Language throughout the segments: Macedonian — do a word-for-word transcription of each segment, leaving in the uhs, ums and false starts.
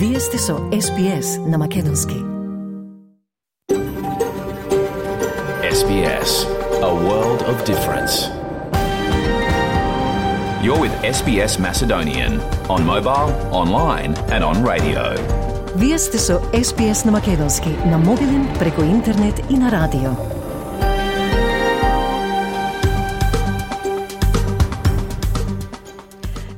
Вие сте со Ес Би Ес на Македонски. Ес Би Ес, a world of difference. You're with Ес Би Ес Macedonian on mobile, online and on radio. Вие сте со Ес Би Ес на Македонски, на мобилен, преку интернет и на радио.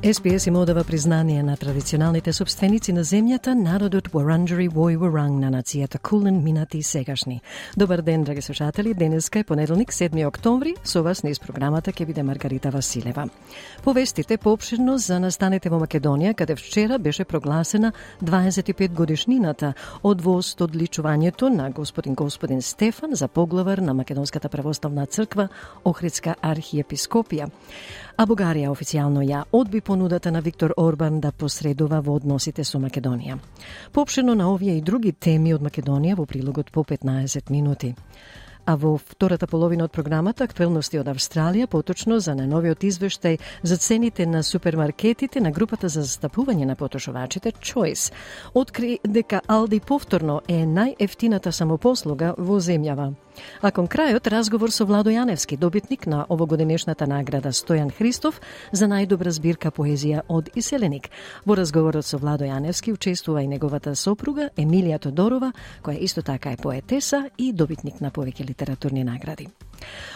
Ес Би Ес им одава признание на традиционалните собственици на земјата, народот Вуранџари Вој Вуранг на нацијата Кулен, минати и сегашни. Добар ден, драги слушатели. Денеска е понеделник, седми октомври. Со вас низ програмата ќе биде Маргарита Василева. Повестите поопширно за настаните во Македонија, каде вчера беше прогласена дваесет и пет годишнината од востодличувањето на господин господин Стефан за поглавар на Македонската православна црква, Охридска архиепископија. А Бугарија официјално ја одби понудата на Виктор Орбан да посредува во односите со Македонија. Поопширно на овие и други теми од Македонија во прилогот по петнаесет минути. А во втората половина од програмата актуелности од Австралија, поточно за најновиот извештај за цените на супермаркетите на групата за застапување на потрошувачите Choice, откри дека Алди повторно е најефтината самопослуга во земјава. А кон крајот разговор со Владо Јаневски, добитник на овогодинешната награда Стојан Христов за најдобра збирка поезија од Иселеник. Во разговорот со Владо Јаневски учествува и неговата сопруга Емилија Тодорова, која исто така е поетеса и добитник на повеќе литературни награди.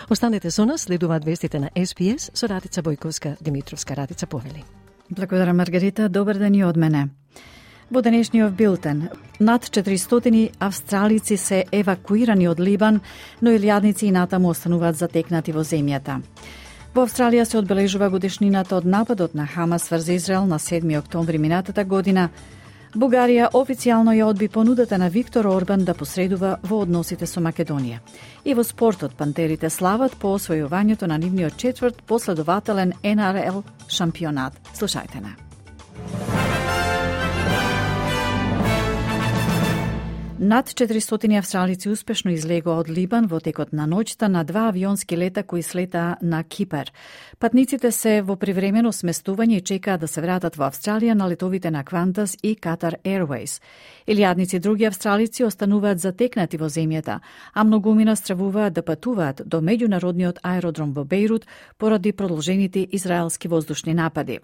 Останете со нас, следуваат вестите на Ес Би Ес со Радица Бојковска Димитровска. Радица, повели. Благодарам, Маргарита. Добар ден и од мене. Во денешниот билтен, над четиристотини австралици се евакуирани од Либан, но илјадници и натаму остануваат затекнати во земјата. Во Австралија се одбележува годишнината од нападот на Хамас врз Израел на седми октомври минатата година. Бугарија официјално ја одби понудата на Виктор Орбан да посредува во односите со Македонија. И во спортот пантерите слават по освојувањето на нивниот четврт последователен Ен Ар Ел шампионат. Слушајте на. Над четиристотини австралици успешно излегоа од Либан во текот на ноќта на два авионски лета кои слетаа на Кипар. Патниците се во привремено сместување и чекаат да се вратат во Австралија на летовите на Qantas и Qatar Airways. Илјадници други австралици остануваат затекнати во земјата, а многумина стравуваат да патуваат до меѓународниот аеродром во Бејрут поради продолжените израелски воздушни напади.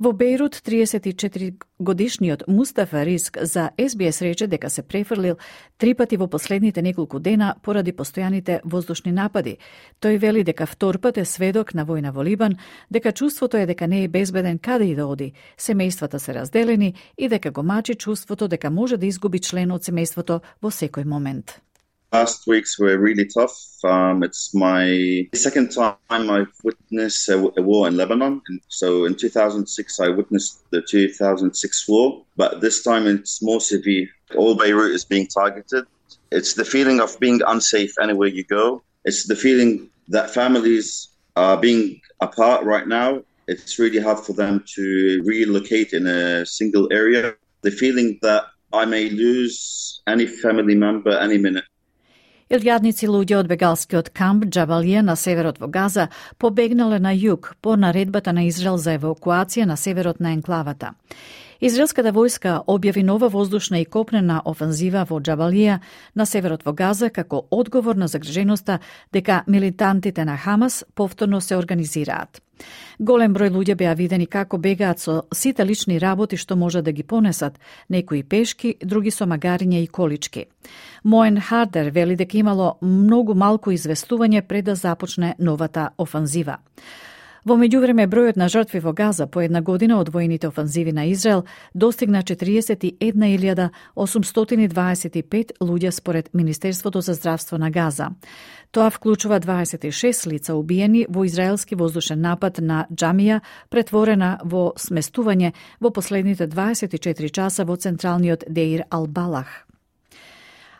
Во Бејрут, триесет и четири годишниот Мустафа Риск за Ес Би Ес рече дека се префрлил три пати во последните неколку дена поради постојаните воздушни напади. Тој вели дека втор пат е сведок на војна во Либан, дека чувството е дека не е безбеден каде и да оди, семејствата се разделени и дека го мачи чувството дека може да изгуби член од семејството во секој момент. Last weeks were really tough. Um, it's my second time I've witnessed a, a war in Lebanon. And so in two thousand six, I witnessed the two thousand six war, but this time it's more severe. All Beirut is being targeted. It's the feeling of being unsafe anywhere you go. It's the feeling that families are being apart right now. It's really hard for them to relocate in a single area. The feeling that I may lose any family member any minute. Илјадници луѓе од бегалскиот камп Џабалија на северот во Газа побегнале на југ по наредбата на Израел за евакуација на северот на енклавата. Израелската војска објави нова воздушна и копнена офанзива во Џабалија на северот во Газа како одговор на загриженоста дека милитантите на Хамас повторно се организираат. Голем број луѓе беа видени како бегаат со сите лични работи што може да ги понесат, некои пешки, други со магариња и колички. Моен Хардер вели дека имало многу малку известување пред да започне новата офанзива. Во меѓувреме, бројот на жртви во Газа по една година од војните офанзиви на Израел достигна четириесет и една илјада осумстотини дваесет и пет луѓе според Министерството за здравство на Газа. Тоа вклучува дваесет и шест лица убиени во израелски воздушен напад на џамија, претворена во сместување во последните дваесет и четири часа во централниот Деир Ал-Балах.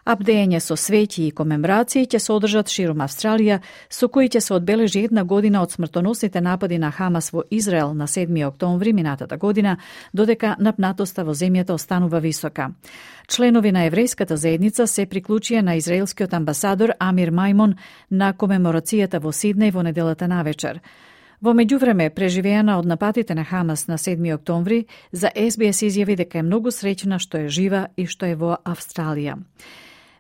Абдење со свети и комеморации ќе се одржат широм Австралија, со кои ќе се одбележи една година од смртоносните напади на Хамас во Израел на седми октомври минатата година, додека напнатоста во земјата останува висока. Членови на еврејската заедница се приклучија на израелскиот амбасадор Амир Мајмон на комеморацијата во Сиднеј во неделата навечер. Во меѓувреме, преживеана од нападите на Хамас на седми октомври, за Ес Би Ес изјави дека е многу среќна што е жива и што е во Австралија.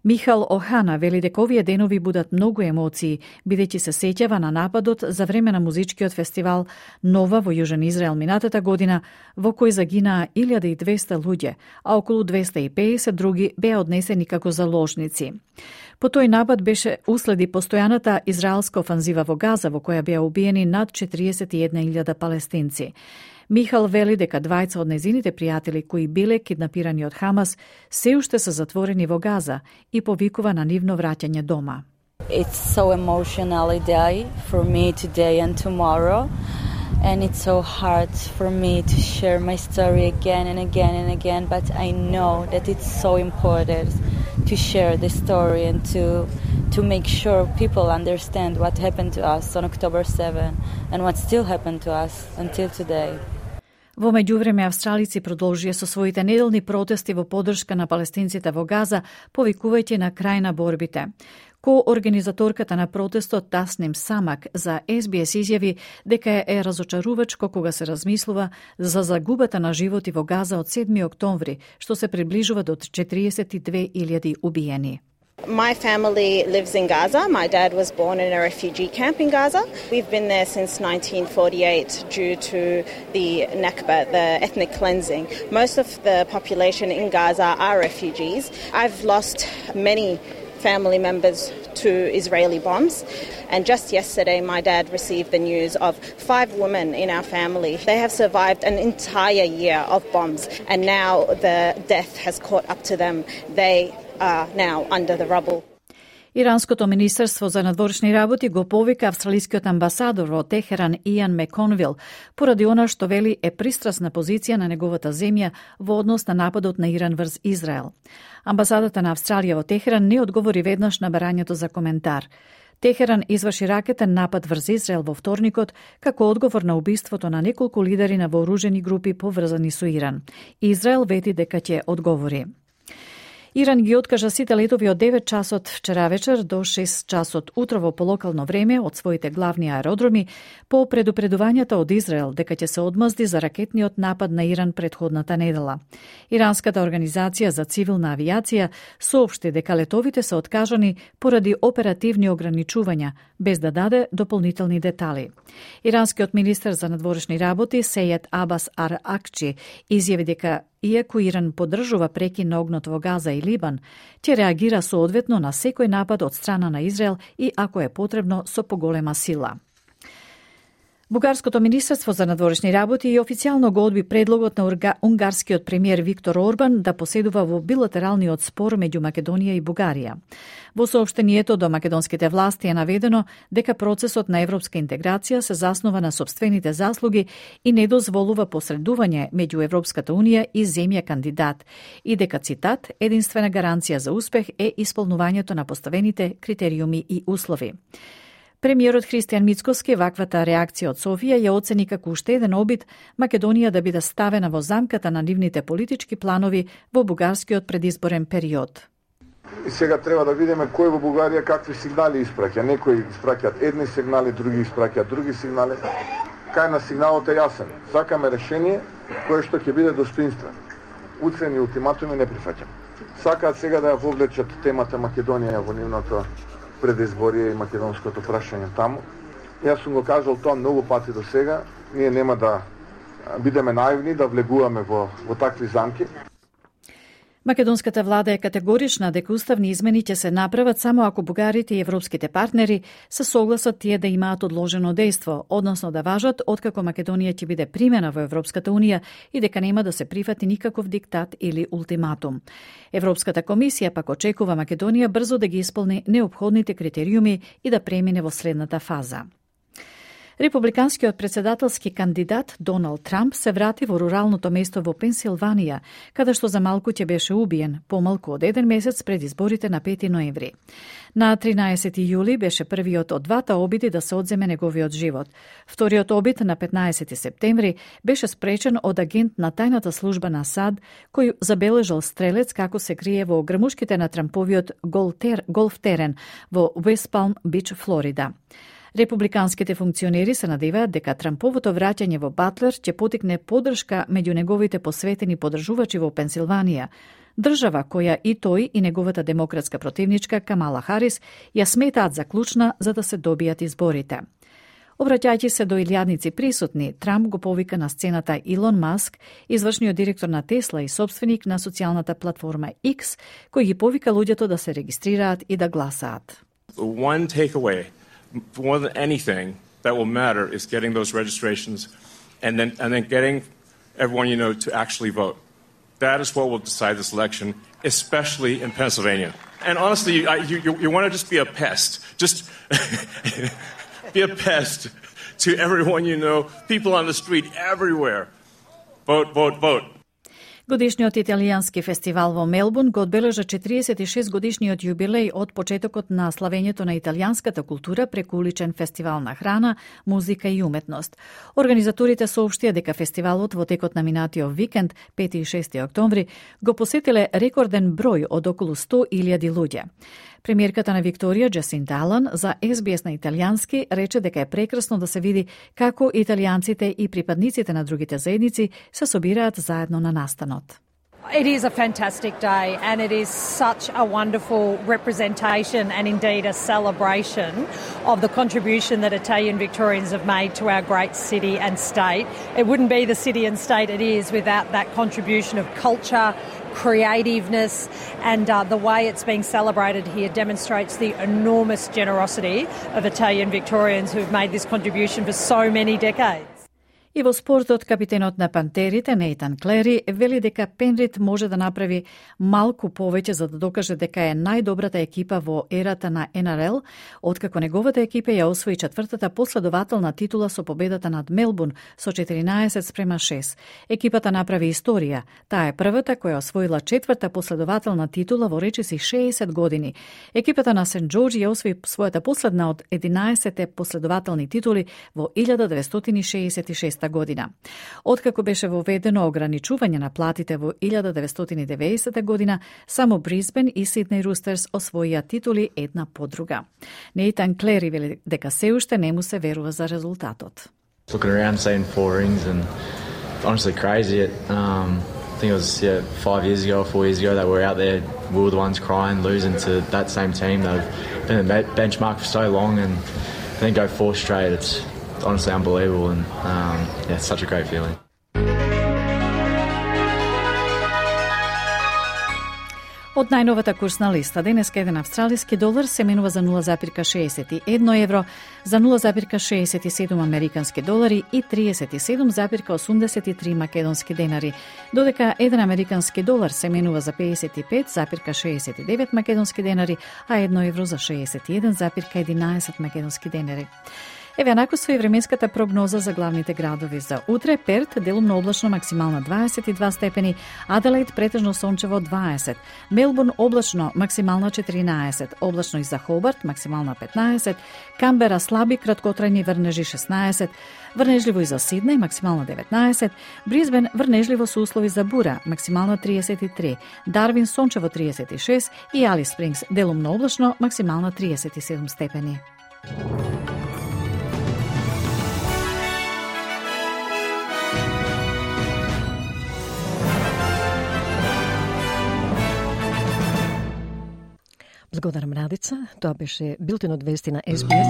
Михал Охана вели дека овие денови будат многу емоции, бидејќи се сеќава на нападот за време на музичкиот фестивал Нова во Јужен Израел минатата година, во кој загинаа илјада и двесте луѓе, а околу двесте и педесет други беа однесени како заложници. По тој напад беше уследи постојаната израелска офанзива во Газа, во која беа убиени над четириесет и една илјада палестинци. Михал вели дека двајца од незините пријатели кои биле киднапирани од Хамас се уште се затворени во Газа и повикува на нивно враќање дома. It's so emotional a day for me today and tomorrow, and it's so hard for me to share my story again and again and again, but I know that it's so important to share the story and to to make sure people understand what happened to us on October seventh and what still happened to us until today. Во меѓувреме, австралици продолжија со своите неделни протести во поддршка на палестинците во Газа, повикувајќи на крај на борбите. Ко-организаторката на протестот Тасним Самак за Ес Би Ес изјави дека е разочарувачко кога се размислува за загубата на животи во Газа од седми октомври, што се приближува до четириесет и две илјади убиени. My family lives in Gaza. My dad was born in a refugee camp in Gaza. We've been there since nineteen forty-eight due to the Nakba, the ethnic cleansing. Most of the population in Gaza are refugees. I've lost many family members to Israeli bombs. And just yesterday, my dad received the news of five women in our family. They have survived an entire year of bombs, and now the death has caught up to them. They are now under the rubble. Иранското министерство за надворешни работи го повика австралискиот амбасадор во Техеран Иан Меконвил поради она што вели е пристрасна позиција на неговата земја во однос на нападот на Иран врз Израел. Амбасадата на Австралија во Техеран не одговори веднаш на барањето за коментар. Техеран изврши ракетен напад врз Израел во вторникот како одговор на убиството на неколку лидери на вооружени групи поврзани со Иран. Израел вети дека ќе одговори. Иран ги откажа сите летови од девет часот вчера вечер до шест часот утрово по локално време од своите главни аеродроми по предупредувањата од Израел дека ќе се одмазди за ракетниот напад на Иран претходната недела. Иранската организација за цивилна авиација соопшти дека летовите се откажани поради оперативни ограничувања, без да даде дополнителни детали. Иранскиот министер за надворешни работи Сејед Абас Ар Акчи изјави дека иако Иран поддржува прекин на огнот во Газа и Либан, ќе реагира соодветно на секој напад од страна на Израел и ако е потребно со поголема сила. Бугарското министерство за надворешни работи и официјално го одби предлогот на унгарскиот премиер Виктор Орбан да поседува во билатералниот спор меѓу Македонија и Бугарија. Во соопштението до македонските власти е наведено дека процесот на европска интеграција се заснова на сопствените заслуги и не дозволува посредување меѓу Европската унија и земја кандидат и дека, цитат, единствена гаранција за успех е исполнувањето на поставените критериуми и услови. Премиерот Христијан Мицкоски ваквата реакција од Софија ја оцени како уште еден обид Македонија да биде ставена во замката на нивните политички планови во бугарскиот предизборен период. И сега треба да видиме кој во Бугарија какви сигнали испраќа. Некои испраќаат едни сигнали, други испраќаат други сигнали. Кај на сигналот е јасен. Сакаме решение кое што ќе биде достоинствено. Уцени и ултиматуми не прифаќам. Сакаат сега да ја вовлечат темата Македонија во нивното предизборие и македонското прашање таму. Јас сум го кажал тоа многу пати до сега. Ние нема да бидеме наивни, да влегуваме во, во такви замки. Македонската влада е категорична дека уставни измени ќе се направат само ако бугарите и европските партнери се согласат тие да имаат одложено дејство, односно да важат откако Македонија ќе биде примена во Европската унија и дека нема да се прифати никаков диктат или ултиматум. Европската комисија пак очекува Македонија брзо да ги исполни неопходните критериуми и да премине во следната фаза. Републиканскиот председателски кандидат Доналд Трамп се врати во руралното место во Пенсилванија, каде што за малку ќе беше убиен, помалку од еден месец пред изборите на пети ноември. На тринаесети јули беше првиот од двата обиди да се одземе неговиот живот. Вториот обид на петнаесети септември беше спречен од агент на тајната служба на САД, кој забележал стрелец како се крие во грмушките на Трамповиот голф терен во Уест Палм Бич, Флорида. Републиканските функционери се надеваат дека Трамповото враќање во Батлер ќе потикне поддршка меѓу неговите посветени поддржувачи во Пенсилванија, држава која и тој и неговата демократска противничка Камала Харис ја сметаат за клучна за да се добијат изборите. Обраќајќи се до илјадници присутни, Трамп го повика на сцената Илон Маск, извршниот директор на Тесла и собственик на социјалната платформа X, кој ги повика луѓето да се регистрираат и да гласаат. One takeaway, more than anything that will matter is getting those registrations and then and then getting everyone you know to actually vote. That is what will decide this election, especially in Pennsylvania. And honestly, you, you, you, you want to just be a pest. Just be a pest to everyone you know, people on the street, everywhere. Vote, vote, vote. Годишниот италијански фестивал во Мелбурн го одбележа четириесет и шест годишниот јубилеј од почетокот на славењето на италијанската култура преку уличен фестивал на храна, музика и уметност. Организаторите соопштија дека фестивалот во текот на минатиот викенд, пети и шести октомври, го посетиле рекорден број од околу сто илјади луѓе. Премиерката на Викторија, Джасинта Алан, за Ес Би Ес на италијански рече дека е прекрасно да се види како италијанците и припадниците на другите заедници се собираат заедно на настанот. It is a fantastic day and it is such a wonderful representation and indeed a celebration of the contribution that Italian Victorians have made to our great city and state. It wouldn't be the city and state it is without that contribution of culture, creativeness, and uh, the way it's being celebrated here demonstrates the enormous generosity of Italian Victorians who've made this contribution for so many decades. И во спортот, капитенот на Пантерите, Нейтан Клери, вели дека Пенрид може да направи малку повеќе за да докаже дека е најдобрата екипа во ерата на Ен Ар Ел, откако неговата екипа ја освои четвртата последователна титула со победата над Мелбурн со четиринаесет спрема шест. Екипата направи историја. Таа е првата која освоила четврта последователна титула во речиси шеесет години. Екипата на Сент Џорџ ја освои својата последна од единаесетте последователни титули во илјада деветстотини шеесет и шеста година. Откако беше воведено ограничување на платите во илјада деветстотини и деветдесета година, само Брисбен и Сиднеј Рустерс освоија титули една по друга. Нейтан Клери вели дека се уште не му се верува за резултатот. Looking around, seeing four rings and honestly crazy. It, um, I think it was yeah, five years ago or four years ago that we were out there, we were the ones crying, losing to that same team. They've been a benchmark for so long and then go four straight. It's honestly unbelievable and um, yeah, it's such a great feeling. Од најновата курсна листа, денеска еден австралиски долар се менува за нула запирка шеесет и едно евро, за нула запирка шеесет и седум американски долари и триесет и седум запирка осумдесет и три македонски денари, додека еден американски долар се менува за пеесет и пет запирка шеесет и девет македонски денари, а едно евро за шеесет и еден запирка единаесет македонски денари. Еве накусва и временската прогноза за главните градови за утре. Перт делумно облачно максимална дваесет и два степени, Аделаид претежно сончево дваесет, Мелбурн облачно максимална четиринаесет, облачно и за Хобарт максимална петнаесет, Камбера слаби краткотрајни врнежи шеснаесет, врнежливо и за Сиднеј максимална деветнаесет, Брисбен врнежливо со услови за бура максимална триесет и три, Дарвин сончево триесет и шест и Алис Спрингс делумно облачно максимална триесет и седум степени. Благодарам, Радица. Тоа беше билтенот вести на Ес Би Ес.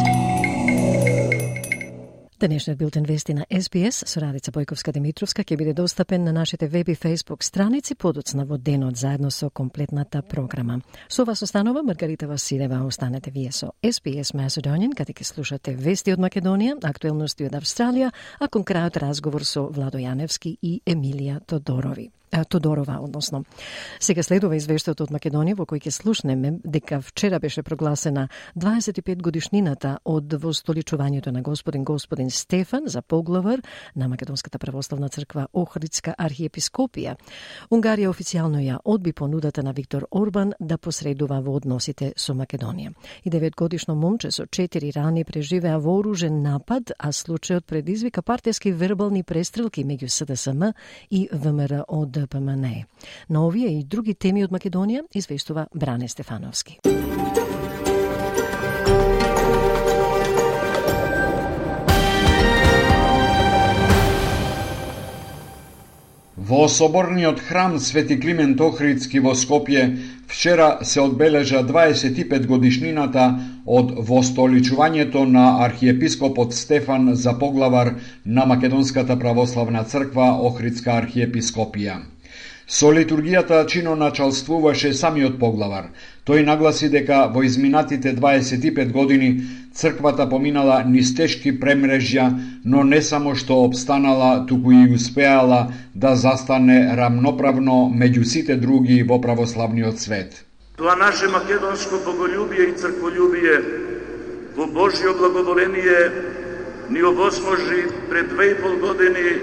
Денешниот билтен вести на Ес Би Ес со Радица Бојковска-Димитровска ќе биде достапен на нашите веб и фейсбук страници подоцна во денот заедно со комплетната програма. Со вас останува Маргарита Василева. Останете вие со Ес Би Ес Macedonian, каде ќе слушате вести од Македонија, актуелности од Австралија, а кон крајот разговор со Владо Јаневски и Емилија Тодорови. Тодорова, односно. Сега следува извештајот од Македонија во кој ќе слушнеме дека вчера беше прогласена дваесет и пет годишнината од востоличувањето на господин господин Стефан за поглавар на Македонската православна црква Охридска архиепископија. Унгарија официјално ја одби понудата на Виктор Орбан да посредува во односите со Македонија. И деветгодишно момче со четири рани преживеа вооружен напад, а случајот предизвика партијски вербални престрелки меѓу С Д С М и В М Р од Д П М Н Е. На овие и други теми од Македонија извештува Бране Стефановски. Во соборниот храм Свети Климент Охридски во Скопје вчера се одбележа дваесет и пет годишнината од востоличувањето на архиепископот Стефан за поглавар на Македонската православна црква Охридска архиепископија. Со литургијата чиноначалствуваше самиот поглавар. Тој нагласи дека во изминатите дваесет и пет години црквата поминала низ тешки премрежја, но не само што обстанала, туку и успеала да застане рамноправно меѓу сите други во православниот свет. Тоа наше македонско боголюбие и цркволюбие во Божјо благоволение ни овозможи пред две и пол години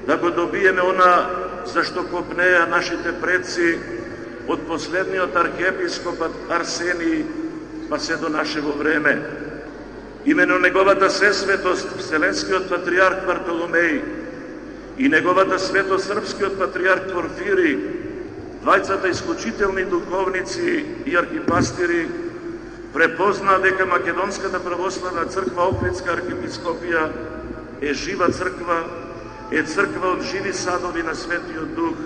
да го добиеме она зашто копнеа нашите предци од последниот архиепископ Арсений па се до нашево време. Имено неговата сесветост Вселенскиот патриарх Вартоломеј и неговата светост српскиот патриарх Порфири, двајцата исклучителни духовници и архипастири, препознаа дека Македонската православна црква Охридска архиепископија е жива црква, е црква од живи садови на Светиот Дух.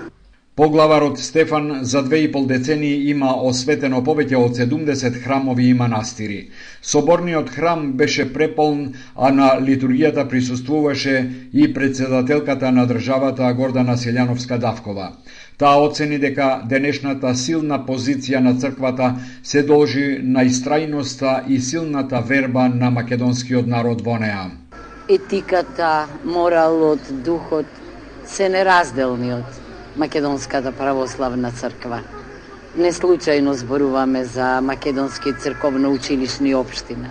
Поглаварот Стефан за две и пол децении има осветено повеќе од седумдесет храмови и манастири. Соборниот храм беше преполн, а на литургијата присуствуваше и председателката на државата Гордана Селјановска-Давкова. Таа оцени дека денешната силна позиција на црквата се должи на истрајноста и силната верба на македонскиот народ во неа. Етиката, моралот, духот се неразделни од Македонската православна црква. Не случајно зборуваме за македонски црковно-училишни општина.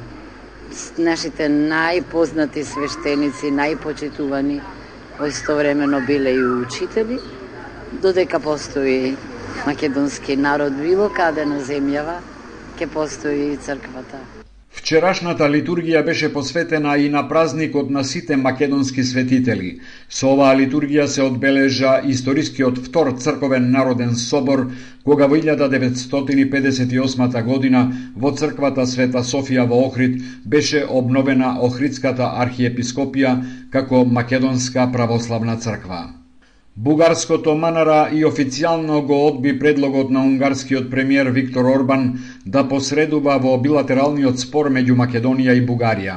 Нашите најпознати свештеници, најпочитувани, истовремено биле и учители, додека постои македонски народ било каде на земјава, ќе постои и црквата. Вчерашната литургија беше посветена и на празникот на сите македонски светители. Со оваа литургија се одбележа историскиот втор црковен народен собор, кога во илјада деветстотини педесет и осма година во црквата Света Софија во Охрид беше обновена Охридската архиепископија како Македонска православна црква. Бугарското Манара и официјално го одби предлогот на унгарскиот премиер Виктор Орбан да посредува во билатералниот спор меѓу Македонија и Бугарија.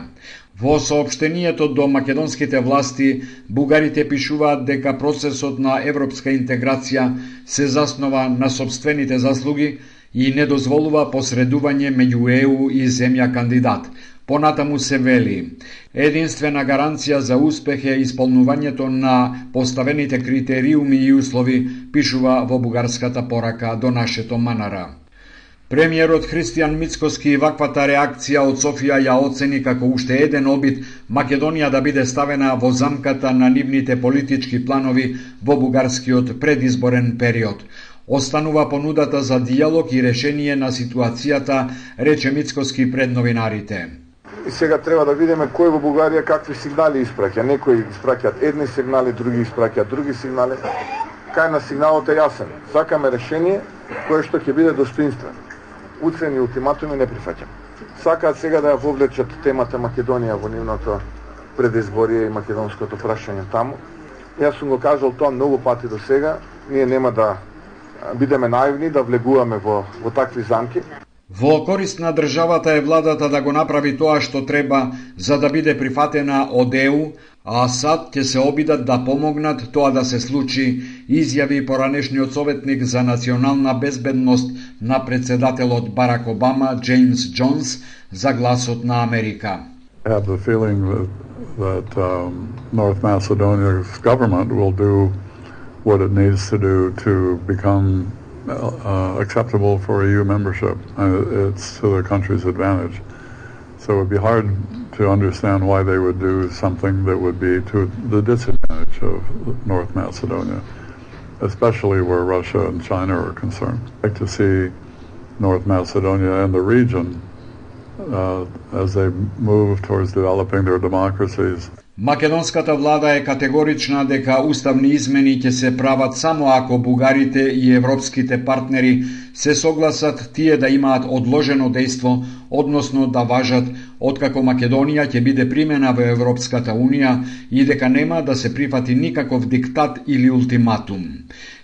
Во соопштението до македонските власти, бугарите пишуваат дека процесот на европска интеграција се заснова на сопствените заслуги и не дозволува посредување меѓу Е У и земја кандидат. Понатаму се вели: единствена гаранција за успех е исполнувањето на поставените критериуми и услови, пишува во бугарската порака до нашето Манара. Премиерот Христијан Мицкоски ваквата реакција од Софија ја оцени како уште еден обид Македонија да биде ставена во замката на нивните политички планови во бугарскиот предизборен период. Останува понудата за диалог и решение на ситуацијата, рече Мицкоски пред новинарите. И сега треба да видиме кој во Бугарија какви сигнали испраќа. Некои испраќаат едни сигнали, други испраќаат други сигнали. Кај на сигналот е јасен. Сакаме решение кое што ќе биде достоинствено. Уцени и ултиматуми не прифаќам. Сакаат сега да ја вовлечат темата Македонија во нивното предизборие и македонското прашање таму. Јас сум го кажал тоа многу пати до сега. Ние нема да бидеме наивни, да влегуваме во, во такви замки. Во корист на државата е владата да го направи тоа што треба за да биде прифатена од Е У, а сад ќе се обидат да помогнат тоа да се случи, изјави поранешниот советник за национална безбедност на председателот Барак Обама, Джеймс Джонс, за Гласот на Америка. I have the feeling that, that um, North Macedonia's government will do what it needs to do to become uh, acceptable for E U membership. Uh, it's to the country's advantage. So it would be hard to understand why they would do something that would be to the disadvantage of North Macedonia, especially where Russia and China are concerned. I'd like to see North Macedonia and the region uh, as they move towards developing their democracies. Македонската влада е категорична дека уставни измени ќе се прават само ако бугарите и европските партнери се согласат тие да имаат одложено дејство, односно да важат откако Македонија ќе биде примена во Европската Унија и дека нема да се прифати никаков диктат или ултиматум.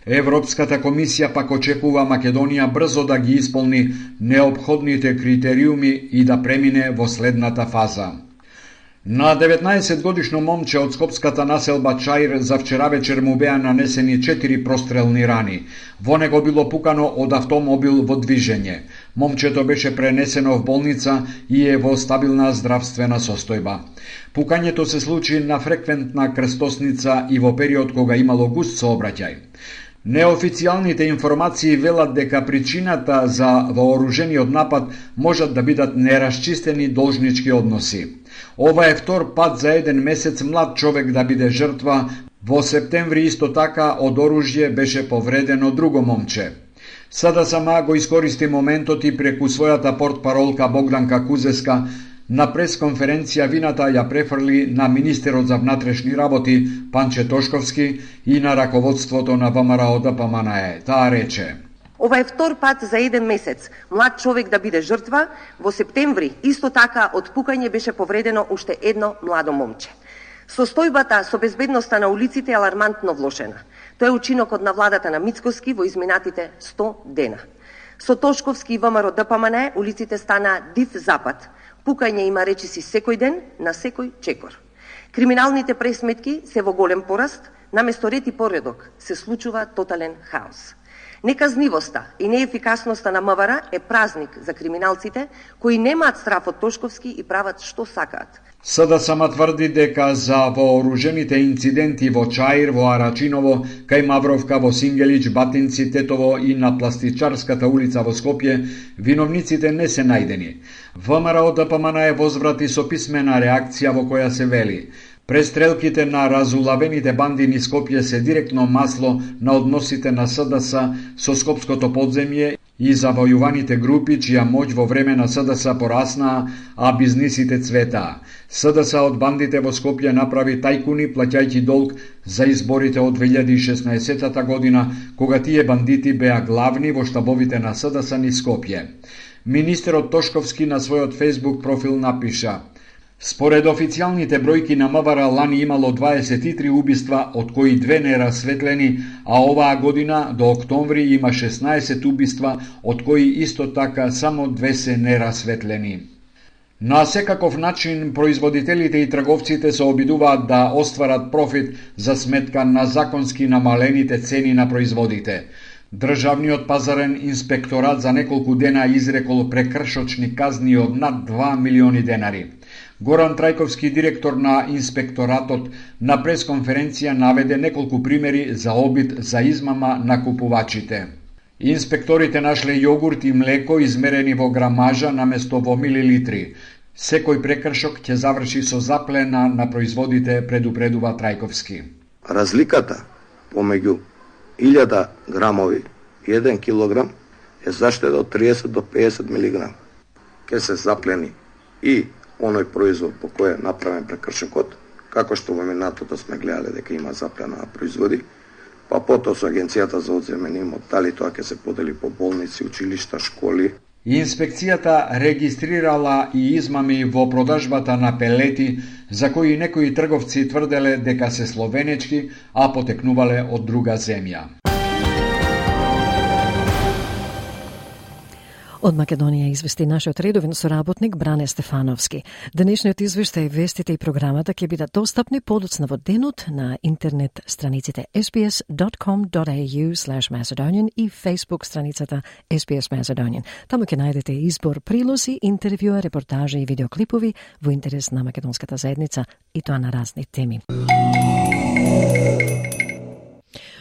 Европската комисија пак очекува Македонија брзо да ги исполни неопходните критериуми и да премине во следната фаза. На деветнаесет годишно момче од скопската населба Чаир за вчера вечер му беа нанесени четири прострелни рани. Во него било пукано од автомобил во движење. Момчето беше пренесено в болница и е во стабилна здравствена состојба. Пукањето се случи на фреквентна крстосница и во период кога имало густ сообраќај. Неофицијалните информации велат дека причината за вооружениот напад можат да бидат нерасчистени должнички односи. Ова е втор пат за еден месец млад човек да биде жртва. Во септември исто така од оружје беше повредено друго момче. СДСМ го искористи моментот и преку својата портпаролка Богданка Кузеска на пресконференција вината ја префрли на министерот за внатрешни работи Панче Тошковски и на раководството на ВМРО Д П М Н Е. Таа рече: Ова е втор пат за еден месец млад човек да биде жртва. Во септември исто така од пукање беше повредено уште едно младо момче. Состојбата со безбедноста на улиците е алармантно влошена. Тоа е учинокот на владата на Мицкоски во изминатите сто дена. Со Тошковски и ВМРО Д П М Н Е улиците стана див запад. Пукање има речиси секој ден, на секој чекор. Криминалните пресметки се во голем пораст, наместо ред и поредок се случува тотален хаос. Неказнивоста и неефикасноста на М В Р е празник за криминалците кои немаат страф од Тошковски и прават што сакаат. СДСМ тврди дека за вооружените инциденти во Чаир, во Арачиново, кај Мавровка, во Сингелич, Батинци, Тетово и на Пластичарската улица во Скопје, виновниците не се најдени. ВМРО Д П М Н Е возврати со писмена реакција во која се вели: престрелките на разулавените банди низ Скопје се директно масло на односите на СДС со скопското подземје и завојуваните групи чија моќ во време на СДС пораснаа, а бизнисите цветаа. СДС од бандите во Скопје направи тајкуни плаќајќи долг за изборите од две илјади и шеснаесетта година, кога тие бандити беа главни во штабовите на СДС низ Скопје. Министерот Тошковски на својот фејсбук профил напиша: според официјалните бројки на М В Р лани имало дваесет и три убиства, од кои две нерасветлени, а оваа година до октомври има шеснаесет убиства, од кои исто така само две се нерасветлени. На секаков начин производителите и трговците се обидуваат да остварат профит за сметка на законски намалените цени на производите. Државниот пазарен инспекторат за неколку дена изрекол прекршочни казни од над два милиони денари. Горан Трајковски, директор на инспекторатот, на пресконференција наведе неколку примери за обид за измама на купувачите. Инспекторите нашле јогурт и млеко измерени во грамажа наместо во милилитри. Секој прекршок ќе заврши со заплена на производите, предупредува Трајковски. Разликата помеѓу илјада грамови и еден килограм е заштеда од триесет до пеесет милиграм. Ке се заплени и оној производ по кој е направен прекршокот, како што во минатото сме гледале дека има заплена на производи, па потоа со Агенцијата за одземен имот, дали тоа ќе се подели по болници, училишта, школи. Инспекцијата регистрирала и измами во продажбата на пелети, за кои некои трговци тврделе дека се словенечки, а потекнувале од друга земја. Од Македонија извести нашиот редовен соработник Бране Стефановски. Денешниот извештај, вестите и програмата ќе бидат достапни подоцна во денот на интернет страниците ес би ес dot com dot a u slash macedonian и Facebook страницата ес би ес Macedonian. Таму ќе најдете избор прилози, интервјуа, репортажи и видеоклипови во интерес на македонската заедница и тоа на разни теми.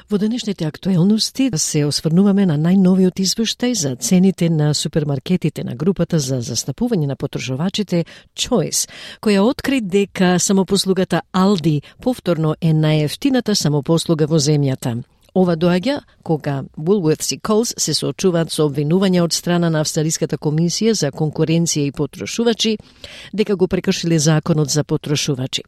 Во денешните актуелности се осврнуваме на најновиот извештај за цените на супермаркетите на групата за застапување на потрошувачите Choice, која откри дека самопослугата Aldi повторно е најевтината самопослуга во земјата. Ова доаѓа кога Woolworths и Coles се соочуваат со обвинувања од страна на Австралиската комисија за конкуренција и потрошувачи дека го прекршиле законот за потрошувачи.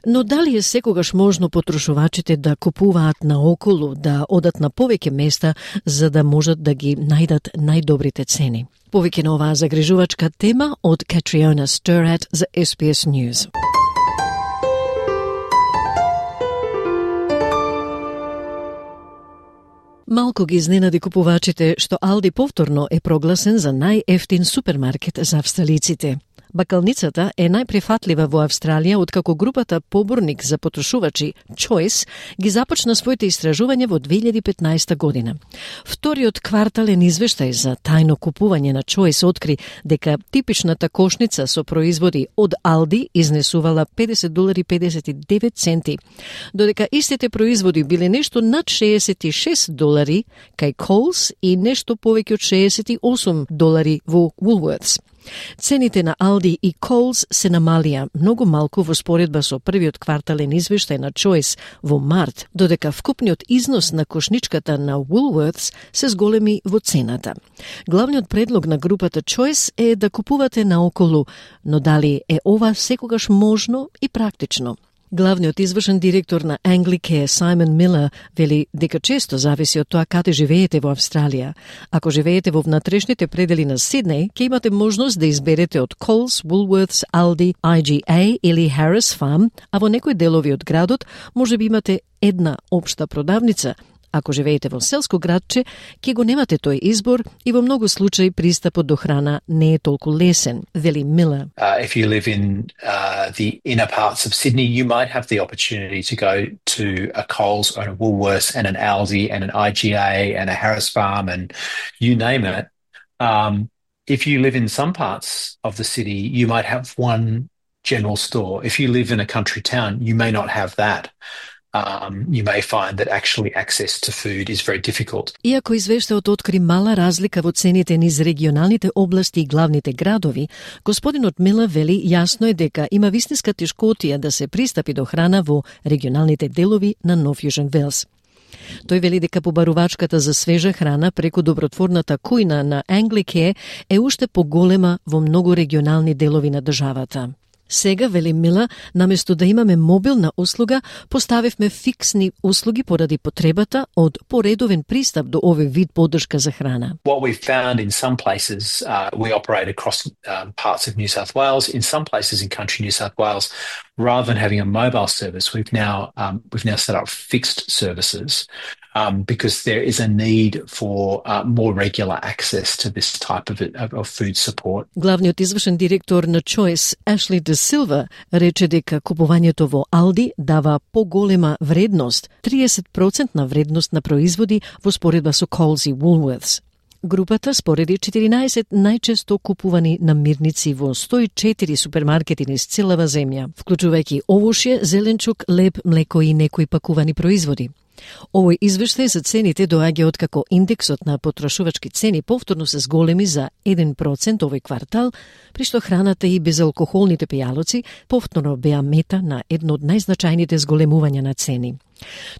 Но дали е секогаш можно потрошувачите да купуваат наоколу, да одат на повеќе места за да можат да ги најдат најдобрите цени? Повеќе на оваа загрижувачка тема од Катриона Стерат за Ес Би Ес News. Малку ги изненади купувачите што Алди повторно е прогласен за најефтин супермаркет за австралиците. Бакалницата е најприфатлива во Австралија откако групата поборник за потрошувачи Choice ги започна своите истражувања во две илјади и петнаесета година. Вториот квартален извештај за тајно купување на Choice откри дека типичната кошница со производи од Алди изнесувала педесет долари и педесет и девет центи, додека истите производи биле нешто над шеесет и шест долари кај Coles и нешто повеќе од шеесет и осум долари во Woolworths. Цените на Алди и Coles се намалија многу малку во споредба со првиот квартален извештај на Choice во март, додека вкупниот износ на кошничката на Woolworths се зголеми во цената. Главниот предлог на групата Choice е да купувате наоколу, но дали е ова секогаш можно и практично? Главниот извршен директор на Anglicare, Simon Miller, вели дека често зависи од тоа каде живеете во Австралија. Ако живеете во внатрешните предели на Сиднеј, ќе имате можност да изберете од Coles, Woolworths, Aldi, I G A или Harris Farm, а во некои делови од градот може би имате една општа продавница. Ако живеете во селско градче, ќе го немате тој избор и во многу случаи пристапот до храна не е толку лесен, вели Мила. Uh, if you live in uh, the inner parts of Sydney, you might have the opportunity to go to a Coles or a Woolworths and an Aldi and an I G A and a Harris Farm and you name it. Um, if you live in some parts of the city, you might have one general store. If you live in a country town, you may not have that. Um, you may find that actually access to food is very difficult. Иако извештајот откри мала разлика во цените низ регионалните области и главните градови, господинот Мила вели јасно е дека има вистинска тешкотија да се пристапи до храна во регионалните делови на Нов Јужен Велс. Тој вели дека побарувачката за свежа храна преку добротворната кујна на Anglicare е уште поголема во многу регионални делови на државата. Сега, вели Мила, наместо да имаме мобилна услуга, поставивме фиксни услуги поради потребата од поредовен пристап до овој вид поддршка за храна. What we've found in some places, uh, we operate across um, parts of New South Wales. In some places in country New South Wales, rather than having a mobile service, we've now um, we've now set up fixed services. Um, because there is a need for uh, more regular access to this type of, of food support. Главниот извршен директор на Choice, Ashley De Silva, рече дека купувањето во Алди дава поголема вредност, триесет проценти на вредност на производи во споредба со Coles и Woolworths. Групата спореди четиринаесет најчесто купувани намирници во сто и четири супермаркети низ целава земја, вклучувајќи овошје, зеленчук, леб, млеко и некои пакувани производи. Овој извештај за цените доаѓа откако индексот на потрошувачки цени повторно се зголеми за еден процент овој квартал, при што храната и безалкохолните пијалоци повторно беа мета на едно од најзначајните зголемувања на цени.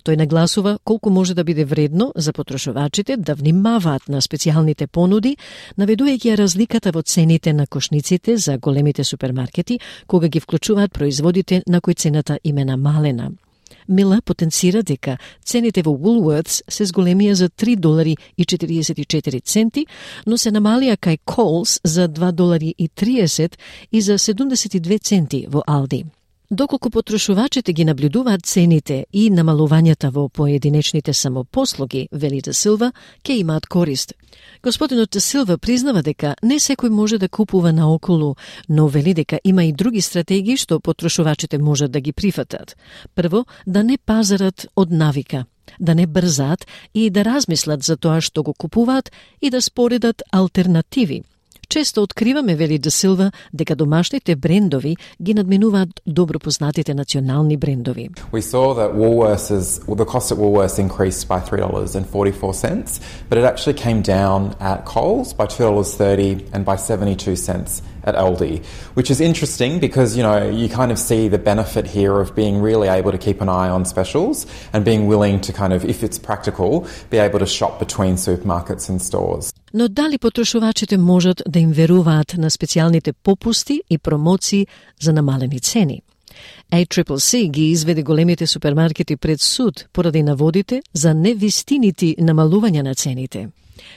Тој нагласува колку може да биде вредно за потрошувачите да внимаваат на специјалните понуди, наведувајќи разликата во цените на кошниците за големите супермаркети, кога ги вклучуваат производите на кои цената им е намалена. Мила потенцира дека цените во Woolworths се зголемија за три долари и четириесет и четири центи, но се намалија кај Coles за два долари и триесет и за седумдесет и две центи во Алди. Доколку потрошувачите ги наблюдуваат цените и намалувањата во поединечните самопослуги, вели Де Силва, ќе имаат корист. Господинот Де Силва признава дека не секој може да купува наоколу, но вели дека има и други стратегии што потрошувачите можат да ги прифатат. Прво, да не пазарат од навика, да не брзаат и да размислат за тоа што го купуваат и да споредат алтернативи. Често откриваме, вели Де Силва, дека домашните брендови ги надминуваат добро познатите национални брендови. We saw that Woolworths, well, the cost at Woolworths increased by three dollars and forty-four cents, but it actually came down at Coles by two dollars thirty and by seventy-two cents at Aldi, which is interesting because, you know, you kind of see the benefit here of being really able to keep an eye on specials and being willing to kind of, if it's practical, be able to shop between supermarkets and stores. Но дали потрошувачите можат да им веруваат на специјалните попусти и промоции за намалени цени? A C C C ги изведе големите супермаркети пред суд поради наводите за невистинити намалувања на цените.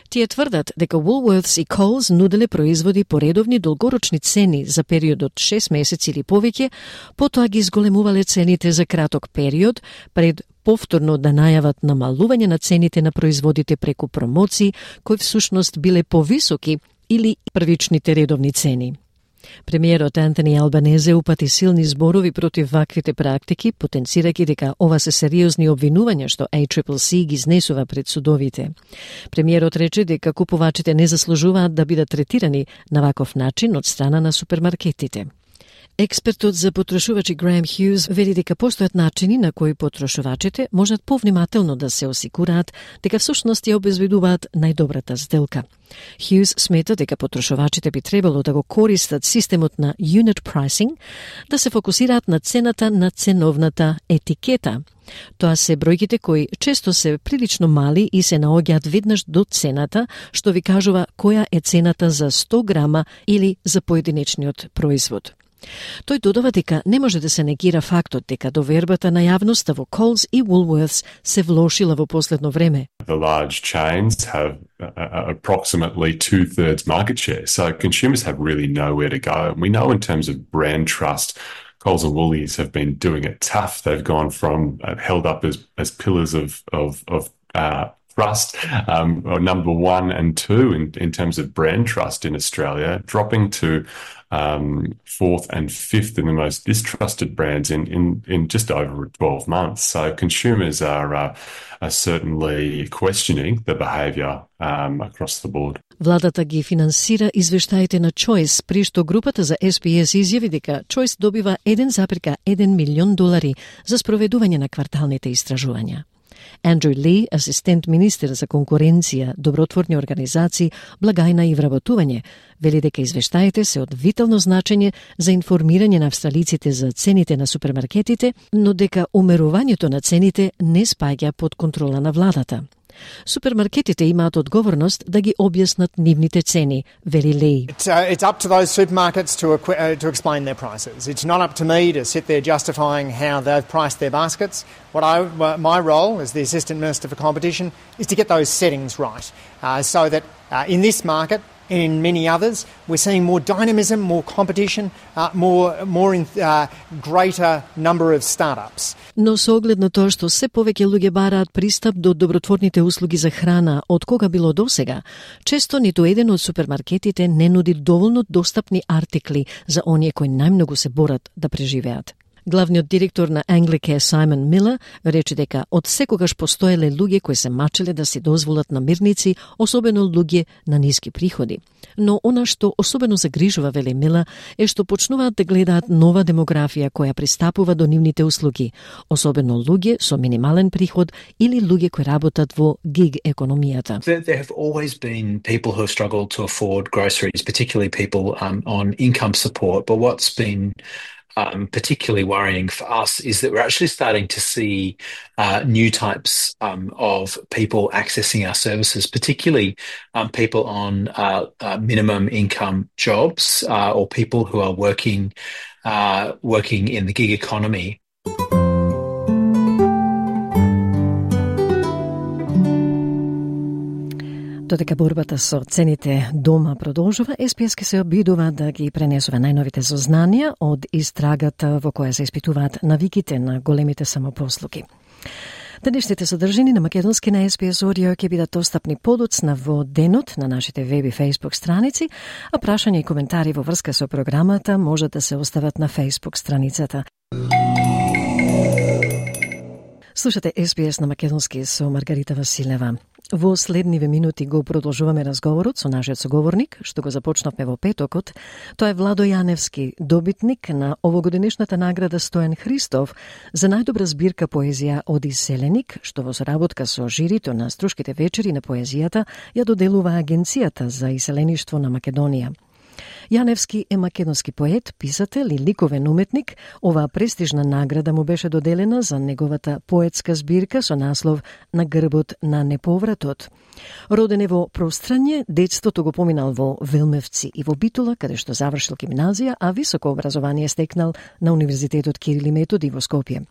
Тие тврдат дека Woolworths и Coles нуделе производи по редовни долгорочни цени за период од шест месеци или повеќе, потоа ги изголемувале цените за краток период, пред повторно да најават намалување на цените на производите преку промоции, кои всушност биле повисоки или првичните редовни цени. Премиерот Антони Албанезе упати силни зборови против ваквите практики, потенцирајќи дека ова се сериозни обвинувања што А Си Си Си ги изнесува пред судовите. Премиерот рече дека купувачите не заслужуваат да бидат третирани на ваков начин од страна на супермаркетите. Експертот за потрошувачи Граем Хјуз вели дека постојат начини на кои потрошувачите можат повнимателно да се осигураат дека всушност ја обезбедуваат најдобрата сделка. Хјуз смета дека потрошувачите би требало да го користат системот на unit pricing, да се фокусираат на цената на ценовната етикета. Тоа се бројките кои често се прилично мали и се наоѓаат веднаш до цената, што ви кажува која е цената за сто грама или за поединечниот производ. Тој додава дека не може да се негира фактот дека довербата на јавноста во Coles и Woolworths се влошила во последно време. The large chains have uh, approximately two-thirds market share, so consumers have really nowhere to go. And we know in terms of brand trust, Coles and Woolies have been doing it tough. They've gone from uh, held up as, as pillars of, of, of uh, trust, um, or number one and two in, in terms of brand trust in Australia, dropping to um, fourth and fifth in the most distrusted brands in, in, in just over twelve months. So consumers are, uh, are certainly questioning the behaviour um, across the board. Владата ги финансира извештаите на Choice, при што групата за Ес Би Ес изјави дека Choice добива еден запирка еден милион долари за спроведување на кварталните истражувања. Андрю Ли, асистент министер за конкуренција, добротворни организации, благајна и вработување, вели дека извештаите се од витално значење за информирање на австралиците за цените на супермаркетите, но дека умерувањето на цените не спаѓа под контрола на владата. Супермаркетите имаат одговорност да ги објаснат нивните цени, вели Ли. It's, uh, it's up to those supermarkets to, uh, to explain their prices. It's not up to me to sit there justifying how they've priced their baskets. What I, my role as the Assistant Minister for Competition is to get those settings right, uh, so that uh, in this market and in many others, we're seeing more dynamism, more competition, uh, more, more in, uh, greater number of startups. Но со оглед на тоа што се повеќе луѓе бараат пристап до добротворните услуги за храна од кога било досега, често ниту еден од супермаркетите не нуди доволно достапни артикли за оние кои најмногу се борат да преживеат. Главниот директор на Anglicare Саймон Милер рече дека од секогаш постоеле луѓе кои се мачеле да си дозволат намирници, особено луѓе на ниски приходи. Но она што особено загрижува, вели Милер, е што почнуваат да гледаат нова демографија која пристапува до нивните услуги, особено луѓе со минимален приход или луѓе кои работат во гиг економијата. There, there have always been people who have struggled to afford groceries, particularly people um, on income support, but what's been Um, particularly worrying for us is that we're actually starting to see uh, new types um, of people accessing our services, particularly um, people on uh, uh, minimum income jobs uh, or people who are working uh, working in the gig economy. Додека борбата со цените дома продолжува, Ес Би Ес ке се обидува да ги пренесува најновите сознанија од истрагата во која се испитуваат навиките на големите самопослуги. Денешните содржини на македонски на Ес Би Ес Audio ќе бидат достапни подоцна во денот на нашите веб и фейсбук страници, а прашања и коментари во врска со програмата може да се остават на фейсбук страницата. Слушате Ес Би Ес на македонски со Маргарита Василева. Во следниве минути го продолжуваме разговорот со нашиот соговорник, што го започнавме во петокот. Тоа е Владо Јаневски, добитник на овогодинешната награда Стојан Христов за најдобра збирка поезија од Иселеник, што во соработка со жирито на Струшките вечери на поезијата ја доделува Агенцијата за иселеништво на Македонија. Јаневски е македонски поет, писател и ликовен уметник. Оваа престижна награда му беше доделена за неговата поетска збирка со наслов На грбот на неповратот. Роден е во Прострање, детството го поминал во Велмевци и во Битола, каде што завршил гимназија, а високо образование стекнал на Универзитетот Кирил и Методи во Скопје.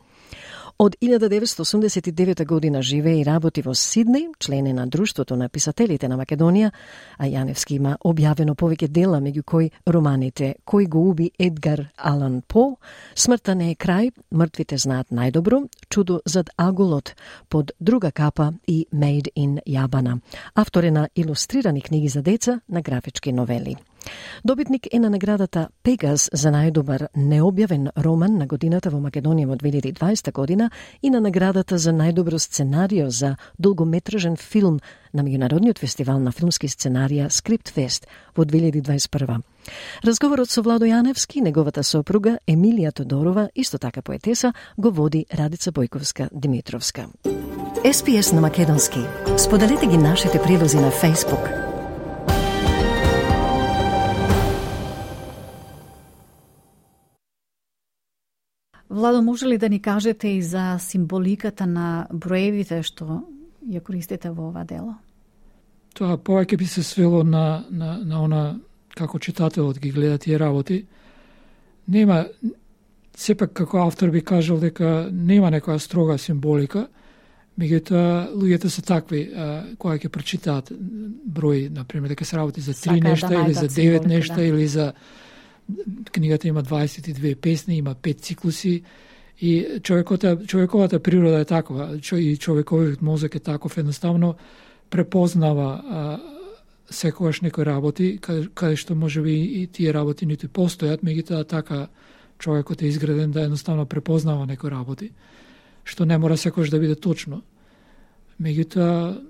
Од илјада деветстотини осумдесет и девета година живее и работи во Сиднеј, член е на Друштвото на писателите на Македонија, а Јаневски има објавено повеќе дела, меѓу кои романите Кој го уби Едгар Алан По, Смртта не е крај, Мртвите знаат најдобро, Чудо зад аголот, Под друга капа и Made in Јабана. Автор е на илустрирани книги за деца, на графички новели. Добитник е на наградата Пегас за најдобар необјавен роман на годината во Македонија во две илјади и дваесета година и на наградата за најдобро сценарио за долгометражен филм на меѓународниот фестивал на филмски сценарија Скриптфест во две илјади дваесет и прва. Разговорот со Владо Јаневски, неговата сопруга Емилија Тодорова, исто така поетеса, го води Радица Бојковска-Димитровска. Ес Пи Ес на македонски. Споделете ги нашите прилози на Facebook. Владо, може ли да ни кажете и за символиката на броевите што ја користите во ова дело? Тоа повеќе би се свело на, на, на она како читателот ги гледа тие работи. Нема, сепак како автор би кажал дека нема некоја строга символика, меѓутоа луѓето се такви а, кои ќе прочитаат број, например, дека се работи за три нешта да или за девет нешта да. Или за книгата има дваесет и две песни, има пет циклуси и човековата, човековата природа е такова, и човековиот мозок е таков, едноставно препознава а, секогаш некои работи, каде, каде што може би и тие работи ниту постојат, меѓутоа така човекот е изграден да едноставно препознава некои работи, што не мора секогаш да биде точно. Меѓутоа,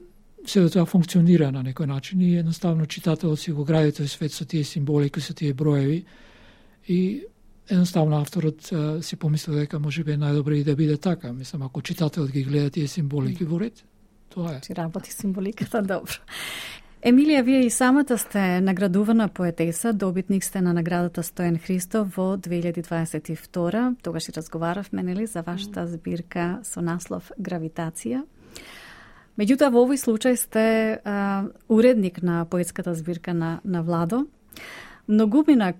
се да тоа функционира на некој начин и едноставно читателот си го гради тој свет со тие символики, со тие броеви и едноставно авторот а, си помислил дека може би е најдобро и да биде така. Мислам, ако читателот ги гледа тие символики во ред, тоа е. Чи работи символиката, добро. Емилија, вие и самата сте наградувана поетеса, добитник сте на наградата Стојан Христов во две илјади дваесет и втора. Тогаш и разговаравме, нели, за вашата збирка со наслов Гравитација. Меѓутоа, во овој случај сте а, уредник на поетската збирка на, на Владо. Многумина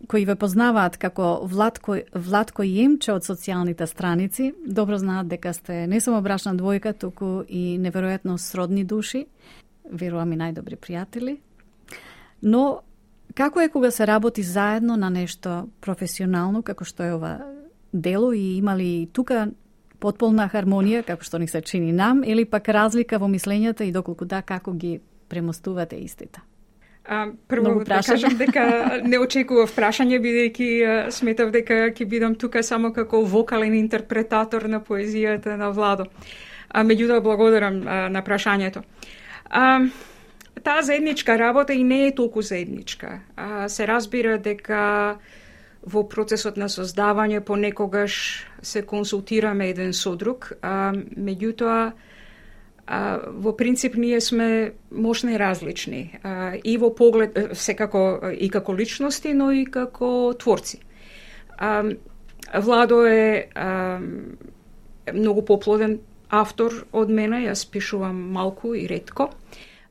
кои ве познаваат како Владко, Владко Јемче од социјалните страници, добро знаат дека сте не само брачна двојка, туку и неверојатно сродни души, верувам и најдобри пријатели. Но, како е кога се работи заедно на нешто професионално, како што е ова дело, и има ли тука потполна хармонија, како што ни се чини нам, или пак разлика во мислењата и доколку да, како ги премостувате истите? А, прво да кажам дека не очекував прашање, бидејќи сметав дека ќе бидам тука само како вокален интерпретатор на поезијата на Владо. А, меѓутоа, благодарам а, на прашањето. А, таа заедничка работа и не е толку заедничка. А, се разбира дека во процесот на создавање понекогаш се консултираме еден со друг, а, меѓутоа а, во принцип ние сме можно и различни, а, и во поглед, секако и како личности, но и како творци. А, Владо е а, многу поплоден автор од мене, јас пишувам малку и ретко.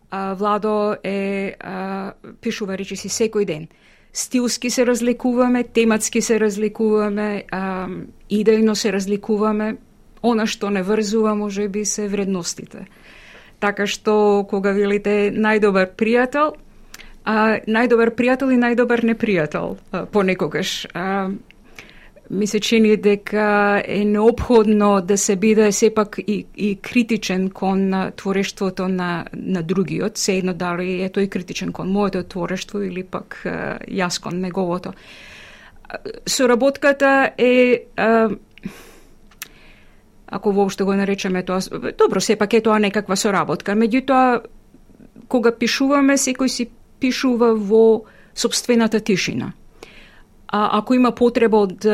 А, Владо е а, пишува речиси секој ден. Стилски се разликуваме, тематски се разликуваме, а, идејно се разликуваме. Она што не врзува може би се вредностите. Така што кога велите најдобар пријател, а, најдобар пријател и најдобар непријател а, понекогаш. А, ми се чини дека е неопходно да се биде сепак и, и критичен кон творештвото на, на другиот, се едно дали е тој критичен кон моето творештво или пак јас кон неговото. Соработката е, ако воопшто го наречеме тоа, добро, сепак е тоа некаква соработка, меѓутоа, кога пишуваме, секој си пишува во сопствената тишина. А ако има потреба од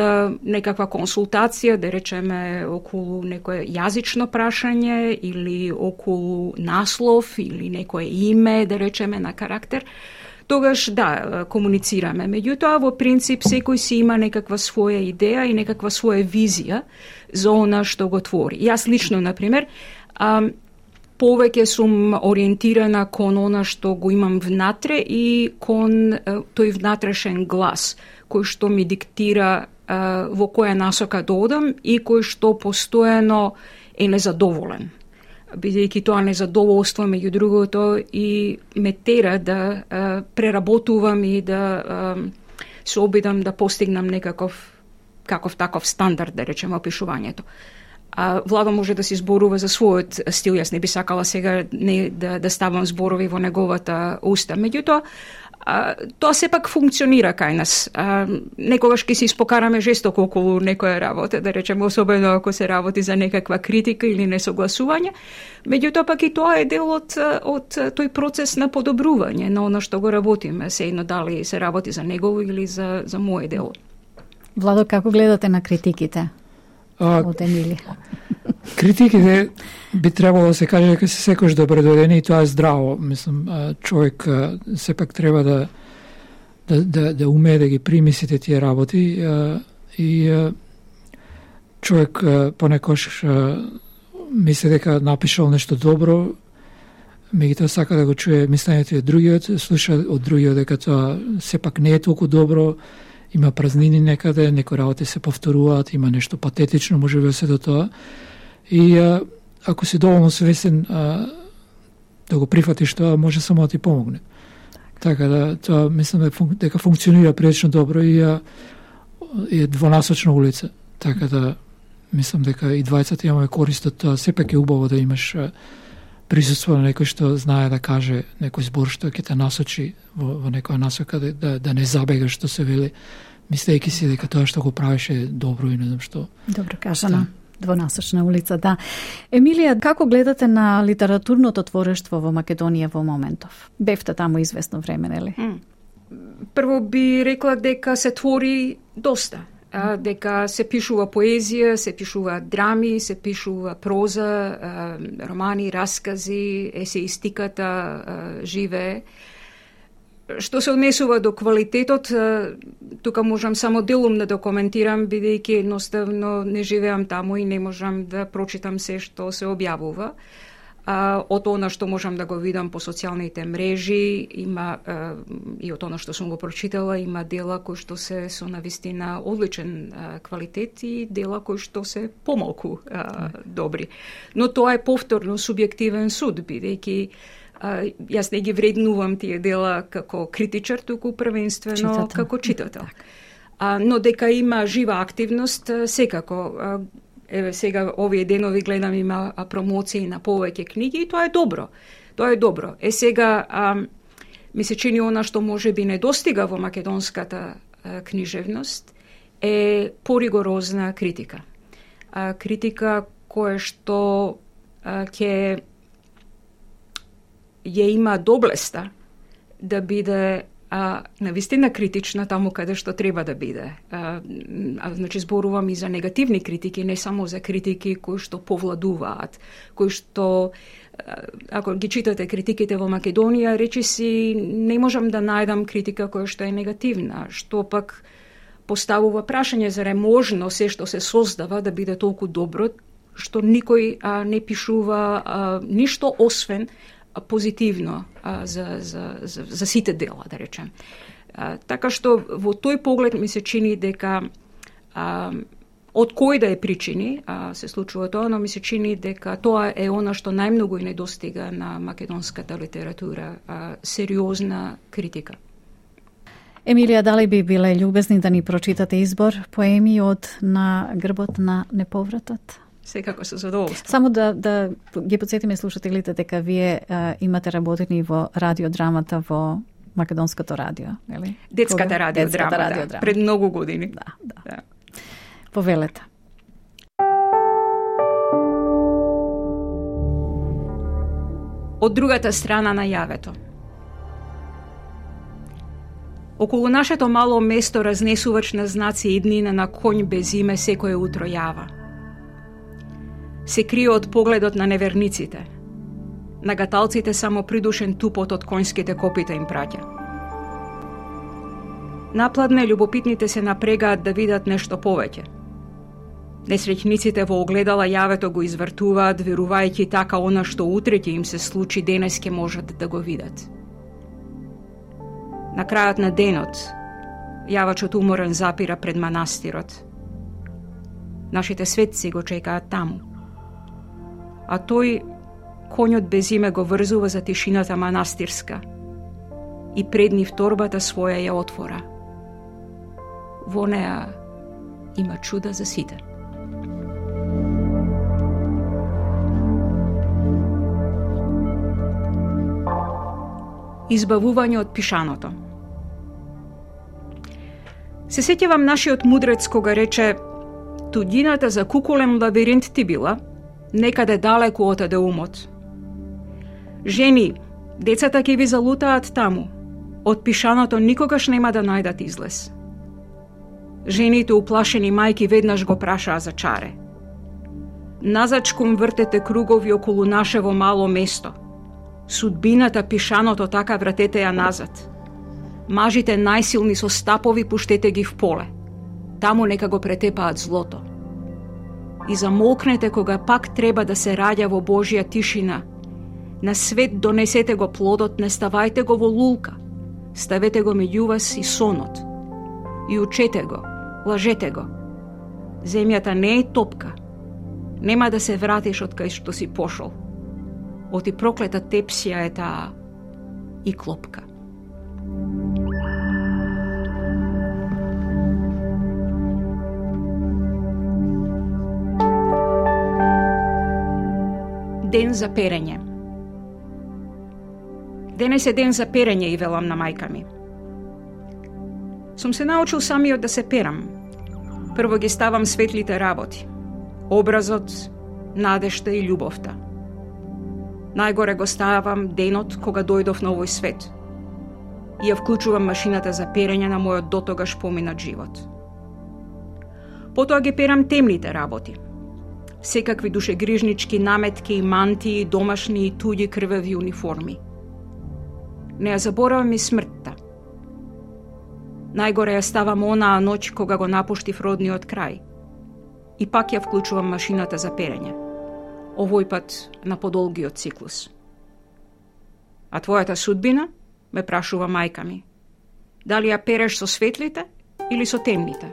некаква консултација, да речеме околу некое јазично прашање или околу наслов или некое име, да речеме на карактер, тогаш да, комуницираме. Меѓутоа, во принцип, секој си има некаква своја идеја и некаква своја визија за она што го твори. Јас лично, например, повеќе сум ориентирана кон она што го имам внатре и кон тој внатрешен глас, кој што ми диктира во која насока да одам и кој што постојано е незадоволен. Бидејќи тоа незадоволство, меѓу другото, и ме тера да а, преработувам и да а, се обидам да постигнам некаков каков таков стандард, да речеме, опишувањето. А Владо може да се зборува за својот стил, јас не би сакала сега не да, да ставам зборови во неговата уста. Меѓутоа, а, тоа сепак функционира кај нас. А, некогаш ќе се испокараме жестоко околу некоја работа, да речеме, особено ако се работи за некаква критика или несогласување. Меѓутоа, пак и тоа е дел од, од тој процес на подобрување на оно што го работиме, се едно дали се работи за негово или за, за моје дело. Владо, како гледате на критиките од Емилија? Критиките би требало да се каже дека се секојаш добродојдени и тоа е здраво. Мислам, човек сепак треба да да да, да умее да ги прими сите тие работи и човек понекогаш мисли дека напишал нешто добро, меѓутоа сака да го чуе мислењето и другиот, слуша од другиот дека тоа сепак не е толку добро, има празнини некаде, некои работи се повторуваат, има нешто патетично, може би се до тоа. И а, ако си доволно свесен а, да го прифатиш тоа, може само да ти помогне. Така да, тоа мислам дека функционира прилично добро и а, е двонасочна улица. Така да, мислам дека и двајцата имаме корист од тоа. Сепак е убаво да имаш а, присуство на некој што знае да каже некој збор што ќе те насочи во, во некоја насока, да, да, да не забегаш, што се вели, мислејќи си дека тоа што го правиш е добро и не знам што. Добро кажано. Двонасочна улица, да. Емилија, како гледате на литературното творештво во Македонија во моментов? Бевте таму известно време, нели? Прво би рекла дека се твори доста. А, дека се пишува поезија, се пишува драми, се пишува проза, а, романи, раскази, есеистиката а, живее. Што се однесува до квалитетот, а, тука можам само делумно да коментирам, бидејќи едноставно не живеам таму и не можам да прочитам се што се објавува. А, од она што можам да го видам по социјалните мрежи, има а, и од она што сум го прочитала, има дела кои што се со навистина одличен а, квалитет и дела кои што се помалку а, добри. Но тоа е повторно субјективен суд, бидејќи а, јас не ги вреднувам тие дела како критичар, туку првенствено читател. Како читател. А, но дека има жива активност, секако. А, Еве сега овие денови гледам има промоции на повеќе книги и тоа е добро. Тоа е добро. Е сега а, ми се чини она што може би недостига во македонската а, книжевност е поригорозна критика. А, критика која што а, ќе ја има доблеста да биде а, навистина критична таму каде што треба да биде. А, а, значи, зборувам и за негативни критики, не само за критики кои што повладуваат, кои што, ако ги читате критиките во Македонија, речи си, не можам да најдам критика која што е негативна, што пак поставува прашање за можно се што се создава да биде толку добро, што никој а, не пишува а, ништо освен позитивно а, за, за, за, за сите дела, да речем. А, така што во тој поглед ми се чини дека а, од кој да е причини а, се случува тоа, но ми се чини дека тоа е она што најмногу и недостига на македонската литература, а, сериозна критика. Емилија, дали би биле љубезни да ни прочитате избор поеми од На грбот на неповратот? Секако со задоволство. Само да, да ги подсетиме слушателите дека вие а, имате работени во радиодрамата во Македонското радио, нели? Детската радиодрама, радио да, пред многу години. Да, да. да. Повелете. Од другата страна на јавето. Околу нашето мало место разнесувач на знаци иднина на конј без име секое утро јава. Се крие од погледот на неверниците. На гаталците само придушен тупот од конјските копита им праќа. Напладне љубопитните се напрегаат да видат нешто повеќе. Несреќниците во огледала јавето го извртуваат, верувајќи така она што утре ќе им се случи, денес ќе можат да го видат. На крајот на денот, Јавачот уморен запира пред манастирот. Нашите светци го чекаат таму. А тој, конјот без име, го врзува за тишината манастирска и пред нив торбата своја ја отвора. Во неа има чуда за сите. Избавување од пишаното. Се сеќавам нашиот мудрец кога рече: "Туѓината за кукулем лабиринт ти била, некаде далеку отаде умот. Жени, децата ќе ви залутаат таму, од пишаното никогаш нема да најдат излез." Жените уплашени мајки веднаш го прашаа за чаре. Назачком вртете кругови околу нашево мало место. Судбината пишаното така вратете ја назад. Мажите најсилни со стапови пуштете ги в поле. Таму нека го претепаат злото. И замолкнете кога пак треба да се раѓа во Божја тишина. На свет донесете го плодот, не ставајте го во лулка. Ставете го меѓу вас и сонот. И учете го, лажете го. Земјата не е топка. Нема да се вратиш од кај што си пошол. Оти проклета тепсија е таа и клопка. Ден за перење. Денес е ден за перење, и велам на мајка ми. Сум се научил самиот да се перам. Прво ги ставам светлите работи. Образот, надежта и љубовта. Најгоре го ставам денот кога дојдов на овој свет. И ја вклучувам машината за перење на мојот дотогаш поминат живот. Потоа ги перам темните работи. Секакви душегрижнички наметки и мантии, домашни и туѓи крвави униформи. Не ја заборавам и смртта. Најгоре ја ставам онаа ноќ кога го напуштив родниот крај. И пак ја вклучувам машината за перење. Овој пат на подолгиот циклус. А твојата судбина? Ме прашува мајка ми. Дали ја переш со светлите или со темните?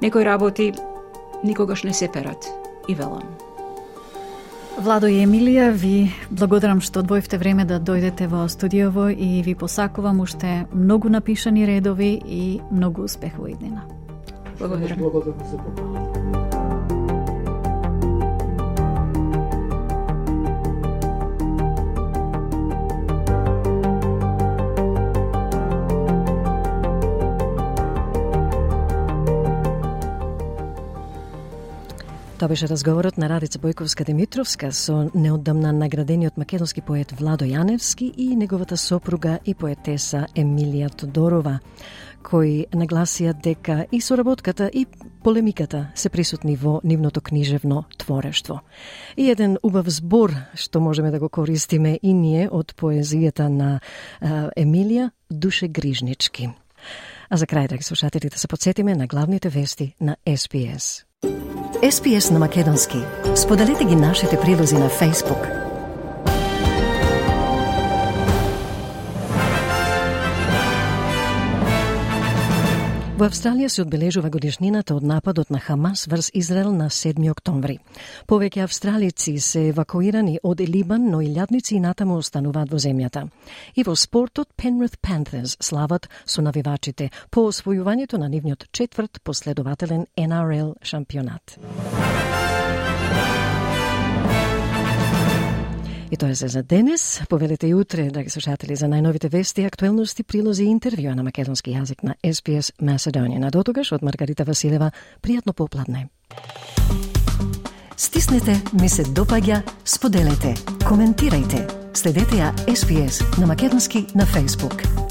Некои работи никогаш не се перат, и велам. Владо и Емилија, ви благодарам што одвоивте време да дојдете во студиово и ви посакувам уште многу напишани редови и многу успех во иднина. Благодарам. Благодарам за поканата. Тоа беше разговорот на Радица Бојковска-Димитровска со неодамна наградениот македонски поет Владо Јаневски и неговата сопруга и поетеса Емилија Тодорова, кои нагласија дека и соработката и полемиката се присутни во нивното книжевно творештво. И еден убав збор што можеме да го користиме и ние од поезијата на а, Емилија, душегрижнички. А за крај, драги слушатели, да се подсетиме на главните вести на Ес Би Ес. Ес Би Ес на македонски. Споделете ги нашите прилози на Facebook. Во Австралија се одбележува годишнината од нападот на Хамас врз Израел на седми октомври. Повеќе австралици се евакуирани од Либан, но илјадници и натаму остануваат во земјата. И во спортот Penrith Panthers слават со навивачите по освојувањето на нивниот четврт последователен Ен Ар Ел шампионат. И тоа е за денес. Повелете и утре, драги слушатели, за најновите вести, актуелности, прилози и интервјуа на македонски јазик на Ес Би Ес Macedonian. А дотогаш од Маргарита Василева, пријатно попладне. Стиснете, ми се допаѓа, споделете, коментирајте. Следете ја Ес Би Ес на македонски на Facebook.